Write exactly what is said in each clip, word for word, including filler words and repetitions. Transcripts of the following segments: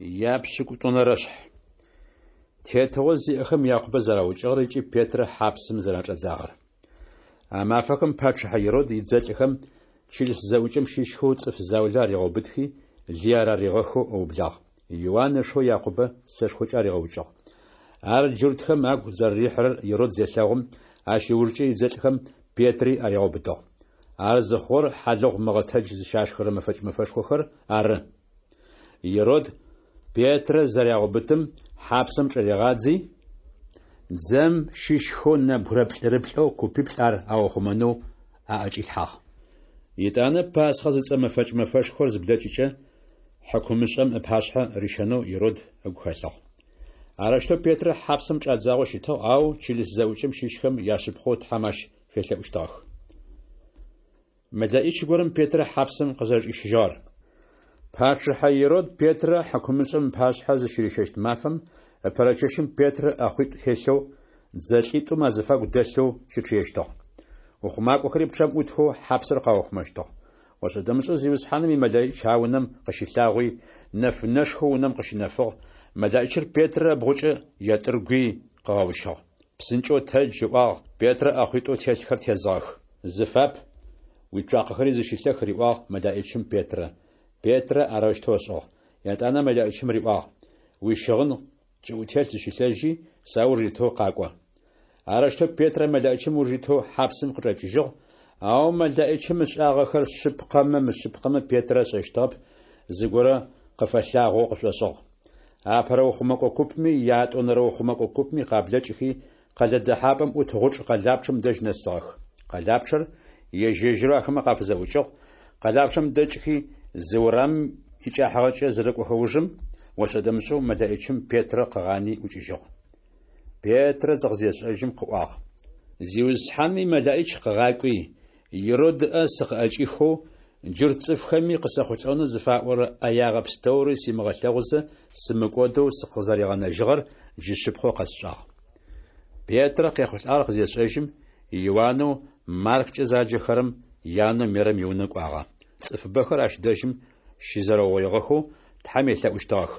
Япшӏыкӏутӏонэрэшъхь. Тетыгъо зиӏэхэм Якъубэ зэраукӏыгъэр ыкӏи Петрэ хьапсым зэрачӏадзагъэр. А мафэхэм пачъыхьэ Ирод идзэлӏхэм чылыс зэӏукӏэм щыщхэу цӏыф заулэ аригъэубытхи, лые араригъэхэу ыублагъ. Иуан ышэу Якъубэ сэшхокӏэ аригъэукӏыгъ. Ар джуртхэм агу зэрэрихьырэр Ирод зелъэгъум, ащ ыужкӏэ идзэлӏхэм Петри аригъэубытыгъ. Ар зыхъугъэр хьалыгъу мыгъэтэдж зыщашхырэ мэфэкӏ мэфэшхохэр ары. Ирод Петрэ зырагъэубытым, хьапсэм чӏыригъадзи, дзэм щыщхэу нэбгырэ плӏырыплӏэу купиплӏ ар аухъумэнэу аӏэкӏилъхьагъ. Етӏанэ Пасхъэ зыцӏэ мэфэкӏ мэфэшхор зыблэкӏыкӏэ, хьыкумышӏэм ыпашъхьэ рищэнэу Ирод ыгу хэлъыгъ. Арэущтэу Петрэ хьапсэм чӏадзагъэу щытыгъ, ау чылыс зэӏукӏэм щыщхэм яшъыпкъэу Тхьэм ащ фелъэӏущтыгъэх. МэлэӀич горэм Петрэ хьапсэм къызэрэчӏищыжьыгъэр. Пачъыхьэ Ирод Петрэ хьыкумышӏэм ыпашъхьэ зыщырищэщт мафэм ыпэрэ чэщым Петрэ ӏэхъуитӏу телъэу, дзэлӏитӏум азыфагу дэлъэу щычъыещтыгъ. Ухъумакӏохэри пчъэм ӏутхэу хьапсыр къаухъумэщтыгъ. ОшӀэ-дэмышӀэу Зиусхьаным имэлэӀич а унэм къыщылъагъуи, нэфынэшхо унэм къыщынэфыгъ, мэлэӀичыр Петрэ ыбгъукӀэ етӀыргуи къыгъэущыгъ. ПсынкӀэу тэдж, ыӀуагъ, Петрэ ӏэхъуитӀоу телъхэр тезыгъэх. Зыфап, уицуакъэхэри зыщылъэх, риӀуагъ мэлэӀичым Петрэ. Петрэ арэущтэу ышӀыгъ. Етӏанэ мэлэӀичым риӀуагъ: Уищыгъын кӀыӀутелъ зыщылъэжьи, сауж итэу къакӀо. Арэущтэу Петрэ мэлэӀичым ыуж итэу хьапсым къычӀэкӀыжьыгъ, ау мэлэӀичым ышӀагъэхэр шъыпкъэмэ мышъыпкъэмэ Петрэ ышӀэщтыгъэп, зыгорэ къыфэлъагъоу къышӀошӀыгъ. Апэрэ ухъумэкӀо купми ятӀонэрэ ухъумэкӀо купми къаблэкӀыхи, къэлэ дэхьапӀэм Ӏут гъучӀ къэлапчъэм дэжь нэсыгъэх. Къэлапчъэр ежь-ежьырэу ахэмэ къафызэӀукӀыгъ, къэлапчъэм дэкӀхи, зы урамым икӀыхьагъэкӀэ зырэкӀохэ ужым, ошӀэ-дэмышӀэу мэлэӀичым Петрэ къыгъани ӀукӀыжьыгъ. Петрэ зыкъызешӀэжьым къыӀуагъ: Зиусхьаным имэлэӀич къыгъакӀуи, Ирод ыӀэ сыкъыӀэкӀихэу, джурт цӀыфхэми къысэхъулӀэнэу зыфаӀорэ Ӏэягъэ пстэури симыгъэлъэгъузэ сымыкӀодэу сыкъызэригъэнэжьыгъэр джы шъыпкъэу къэсшӀагъ. Петрэ къехъулӀагъэр къызешӀэжьым, Иуанэу МарккӀэ заджэхэрэм янэу Мерэм иунэ кӀуагъэ. ЦӀыфыбэхэр ащ дэжьым щызэрэугъоигъэхэу Тхьэм елъэӀущтыгъэх.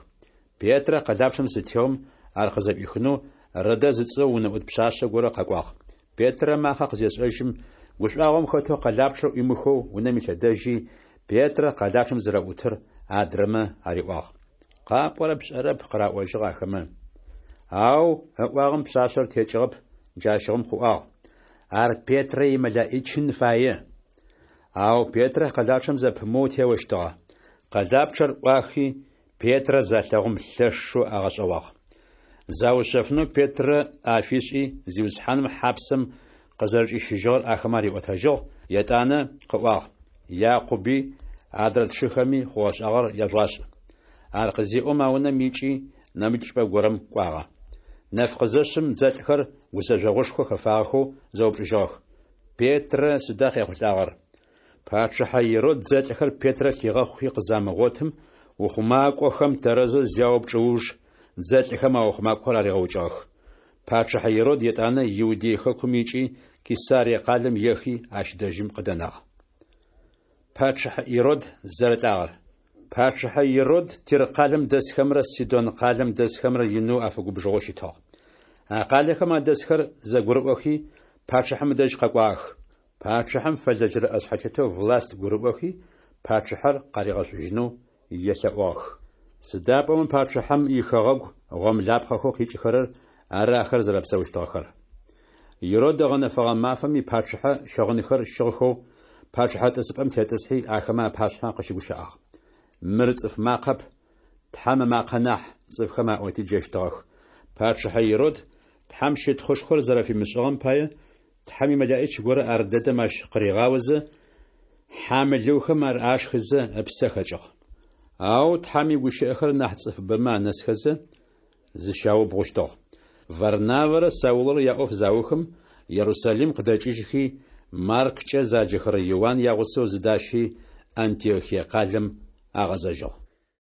Петрэ къэлапчъэм зытеом, ар къызэӀуихынэу Родэ зыцӀэу унэӀут пшъашъэ горэ къэкӀуагъ. Петрэ ымакъэ къызешӀэжьым, гушӀуагъом хэтэу къэлапчъэр Ӏуимыхэу унэм илъэдэжьи, Петрэ къэлапчъэм зэрэӀутыр адрэмэ ариӀуагъ. КъапӀорэр пшӀэрэп, къыраӀожьыгъ ахэмэ. Ау ыӀуагъэм пшъашъэр текӀыгъэп, джащыгъум къыӀуагъ: Ар Петрэ имэлэӀичын фае. Ау Петрэ къэлапчъэм зэпымыоу теощтыгъэ. Къэлапчъэр Ӏуахи, Петрэ залъэгъум лъэшэу агъэшӀэгъуагъ. Заушъэфынэу Петрэ ӏэ афишӀи, Зиусхьаным хьапсэм къызэрэчӀищыжьыгъэр ахэмэ ариӀотэжьыгъ, етӀанэ къыӀуагъ: Якъуби адрэ тшыхэми хъугъэ-шӀагъэр яжъугъашӀ. Ар къызеӀом, а унэм икӀи, нэмыкӀ чӀыпӀэ горэм кӀуагъэ. Нэф къызэшъым, дзэлӀхэр гузэжъогъушхо хэфагъэхэу зэупчӀыжьыгъэх: Петрэ сыда къехъулӀагъэр? Пачъыхьэ Ирод дзэлӀхэр Петрэ лъигъэхъухи къызамыгъотым, ухъумакӀохэм тэрэзэу зяупчӀ уж, дзэлӀхэм а ухъумакӀохэр аригъэукӀыгъэх. Пачъыхьэ Ирод етӀанэ Иудей хэкум икӀи, Кесарие къалэм ехи, ащ дэжьым къыдэнагъ. Пачъыхьэ Ирод зэрэлӀагъэр. Пачъыхьэ Ирод Тир къалэм дэсхэмрэ Сидон къалэм дэсхэмрэ инэу афэгубжыгъэу щытыгъ. А къалэхэм адэсхэр зэгурыӀохи, пачъыхьэм ыдэжь къэкӀуагъэх. Пачъыхьэм фэлэжьэрэ Ӏэшъхьэтетэу Власт гурыӀохи, пачъыхьэр къаригъэшӀужьынэу елъэӀугъэх. Сыда пӀомэ пачъыхьэм ихэгъэгу гъомлапхъэхэу къикӀыхэрэр ары ахэр зэрэпсэущтыгъэхэр. Ирод ыгъэнэфэгъэ мафэм ипачъыхьэ щыгъынхэр щыгъхэу пачъыхьэ тӀысыпӀэм тетӀысхьи, ахэмэ апашъхьэ къыщыгущыӀагъ. Мыр цӀыф макъэп, Тхьэм ымакъэ нахь, цӀыфхэм аӀоти джэщтыгъэх. Пачъыхьэ Ирод Тхьэм щытхъушхор зэрэфимышӀыгъэм пае, Тхьэм имэлэӀич горэ ар дэдэм ащ къыригъаозэ, хьамылыухэм ар ашхызэ ыпсэ хэкӀыгъ. Ау Тхьэм игущыӀэхэр нахь цӀыфыбэмэ анэсхэзэ, зыщаубгъущтыгъ. Варнавэрэ Саулрэ яӀоф заухым, Ерусалим къыдэкӀыжьхи, МарккӀэ заджэхэрэ Иуан ягъусэу зыдащи, Антиохие къалэм агъэзэжьыгъ.